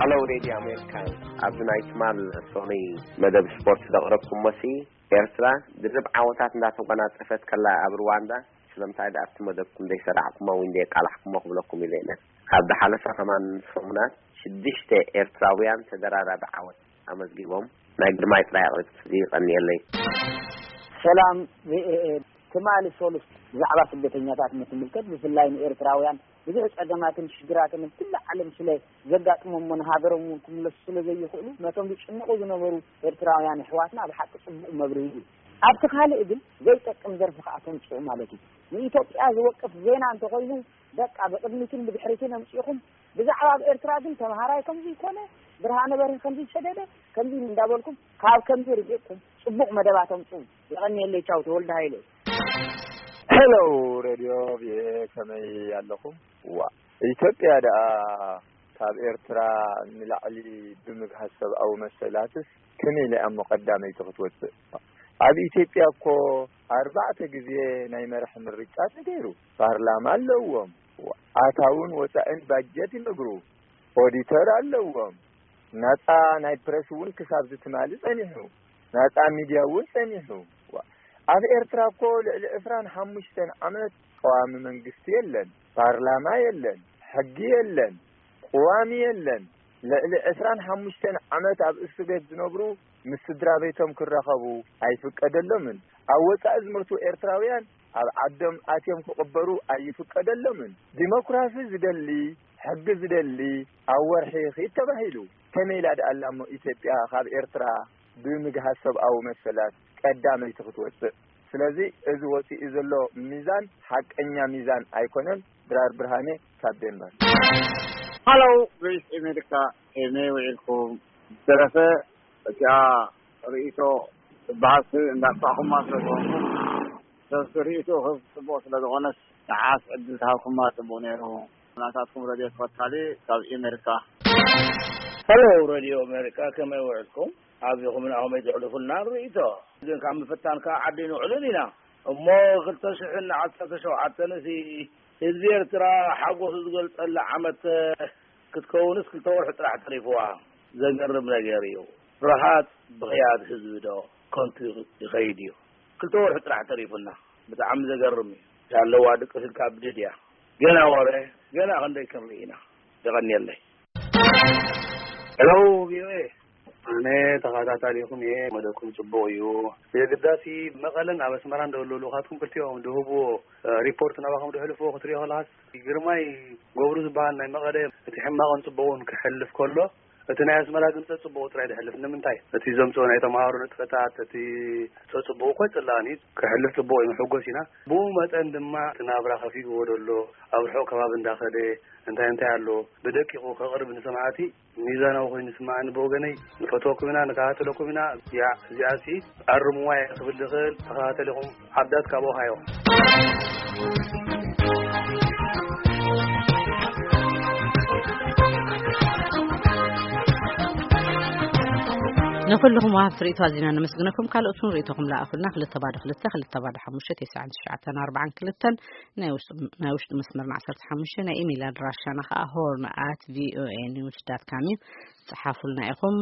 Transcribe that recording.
Hello Radio America. ኣብዚ ናይ ትማል ሰኑይ መደብ ስፖርት ዘቕረብኩሞ ሲ፣ ኤርትራ ድርብ ዓወታት እንዳተጎናጸፈት ከላ ኣብ ሩዋንዳ ስለምንታይ ደኣ ኣብቲ መደብኩም ዘይሰራዕኩሞ ወይ ዘይቃላሕኩሞ ክብለኩም ኢለ እየ። ካብ ዝሓለፈ ከማን ሰሙናት ሽዱሽተ ኤርትራውያን ተደራራቢ ዓወት ኣመዝጊቦም። ናይ ግርማይ ጥራይ ኣቕሪብ። ይቐንየለይ። ሰላም ቪኦኤ። ትማሊ ሰሉስ ብዛዕባ ስደተኛታት እንትምልከት፣ ብፍላይ ንኤርትራውያን ብዙሕ ጸገማትን ሽግራትን ኣብ ኩላ ዓለም ስለ ዘጋጥሞም፣ ንሃገሮም እውን ክምለሱ ስለ ዘይኽእሉ፣ ነቶም ዝጭንቑ ዝነበሩ ኤርትራውያን ኣሕዋትና ብሓቂ ጽቡቕ መብርሂ እዩ። ኣብቲ ካልእ ግን ዘይጠቅም ዘርፊ ከኣ ተምጽኡ ማለት እዩ። ንኢትዮጵያ ዝወቅስ ዜና እንተኾይኑ፣ በቃ ብቕድሚትን ብድሕሪትን ኣምጺእኹም ብዛዕባ ኣብ ኤርትራ ግን ተምሃራይ ከምዚ ይኮነ፣ ብርሃነ በርሂ ከምዚ ይሰደደ፣ ከምዚ እንዳበልኩም ካብ ከምዚ ርሒቕኩም ጽቡቕ መደባት ኣምጽኡ። የቐንየለይ። ቻው፣ ተወልደ ሃይለ። ሄሎ ሬድዮ ቪኦኤ፣ ከመይ ኣለኹም? ዋ፣ ኢትዮጵያ ደኣ ካብ ኤርትራ ንላዕሊ ብምግሃስ ሰብኣዊ መሰላትስ ከመይ ኢላ እሞ ቀዳመይቲ ክትወጽእ? ኣብ ኢትዮጵያ እኮ ኣርባዕተ ግዜ ናይ መራሒ ምርጫ ተገይሩ፣ ፓርላማ ኣለዎም፣ ኣታውን ወጻእን ባጀት ይነግሩ፣ ኦዲተር ኣለዎም፣ ናጻ ናይ ፕረስ እውን ክሳብ ዝትማሊ ጸኒሑ፣ ናጻ ሚድያ እውን ጸኒሑ። ዋ፣ ኣብ ኤርትራ እኮ ልዕሊ ዕስራን ሓሙሽተን ዓመት ቀዋሚ መንግስቲ የለን፣ ፓርላማ የለን፣ ሕጊ የለን፣ ቅዋም የለን። ልዕሊ ዕስራን ሓሙሽተን ዓመት ኣብ እስር ቤት ዝነብሩ ምስ ስድራ ቤቶም ክራኸቡ ኣይፍቀደሎምን። ኣብ ወጻኢ ዝሞቱ ኤርትራውያን ኣብ ዓዶም ኣትዮም ክቕበሩ ኣይፍቀደሎምን። ዲሞክራሲ ዝደሊ፣ ሕጊ ዝደሊ ኣብ ወርሒ ኺድ ተባሂሉ። ከመይ ኢላ ደኣ ኣላ እሞ ኢትዮጵያ ካብ ኤርትራ ብምግሃስ ሰብኣዊ መሰላት ቀዳመይቲ ክትወጽእ? ስለዚ እዚ ወጺኡ ዘሎ ሚዛን ሓቀኛ ሚዛን ኣይኮነን። ድራር ብርሃኔ ካብ ዴንማርክ። ሃሎ፣ ቮይስ ኣሜሪካ፣ ከመይ ውዒልኩም? ዝተረፈ እቲኣ ርእይቶ ትበሃል እንዳጥፋእኩማ ስለ ዝኾንኩም፣ ሰብ ርእይቶ ክህብ ጽቡቕ ስለ ዝኾነስ፣ ንዓስ ዕድል ተሃብኩማ ጽቡቕ ነይሩ። ናታትኩም ረድዮ ተኸታሊ ካብ ኣሜሪካ። ሄሎ፣ ረድዮ ኣሜሪካ፣ ከመይ ውዕልኩም? ኣቢኹም ናኹም ኣይትዕልፉልና ርእይቶ። ግን ካብ ምፍታን ከዓ ዓዲ ንውዕልን ኢና። እሞ ክልተ ሽሕን ዓሰርተ ሸውዓተን እዚ ህዝቢ ኤርትራ ሓጎሱ ዝገልጸላ ዓመት ክትከውንስ ክልተ ወርሒ ጥራሕ ተሪፍዋ። ዘገርም ነገር እዩ። ፍርሃት ብኽያት ህዝቢ ዶ ከንቱ ይኸይድ እዩ? ክልተ ወርሒ ጥራሕ ተሪፉና። ብጣዕሚ ዘገርም እዩ። ያለዋ ድቅስ ኢልካ ብድድ እያ። ገና ወረ፣ ገና ክንደይ ክንርኢ ኢና። የቐንየለይ። ሄሎ፣ ቪኦኤ። ኣነ ተኸታታሊኹም እየ። መደብኩም ጽቡቕ እዩ። የግዳሲ መቐለን ኣብ ኣስመራን ደሎ ልኡኻትኩም ክልቲኦም ድህብዎ ሪፖርት ናባኹም ድሕልፍዎ ክትሪኦ ከለኻስ፣ ግርማይ ገብሩ ዝበሃል ናይ መቐለ እቲ ሕማቕን ጽቡቕን ክሕልፍ ከሎ፣ እቲ ናይ ኣስመራ ግን ጸጽቡቑ ጥራይ ድሕልፍ። ንምንታይ? እቲ ዘምጽኦ ናይ ተምሃሮ ንጥፈታት፣ እቲ ጸጽቡቑ እኮ ኣይጽላእን እዩ። ክሕልፍ ጽቡቕ እዩ፣ ንሕጎስ ኢና። ብኡ መጠን ድማ እቲ ናብራ ከፊእዎ ደሎ፣ ኣብ ርሑቕ ከባቢ እንዳኸደ እንታይ እንታይ ኣሎ፣ ብደቂቑ ከቕርብ ንሰማዕቲ ሚዛናዊ ኮይኑ ይስምዓኒ ብወገነይ። ንፈትወኩም ኢና፣ ንከታተለኩም ኢና። ያ፣ እዚኣሲ ኣርምዋ እየ ክብል ዝኽእል። ተኸታተሊኹም ዓዳት ካብ ኦሃዮ። ንኹልኹም ወሃብቲ ርእይቶ ኣዚና ነመስግነኩም። ካልኦት እውን ርእይቶኹም ለኣኹልና። ክልተ ባዶ ክልተ፣ ክልተ ባዶ ሓሙሽተ፣ ተስዓን ትሽዓተን ኣርባዓን ክልተን፣ ናይ ውሽጢ፣ ናይ ውሽጢ መስመርና ዓሰርተ ሓሙሽተ፣ ናይ ኢሜይል ኣድራሻና ኸዓ ሆርን ኣት ቪኦኤ ኒውስ ዳት ካም እዩ። ጸሓፉልና ኢኹም።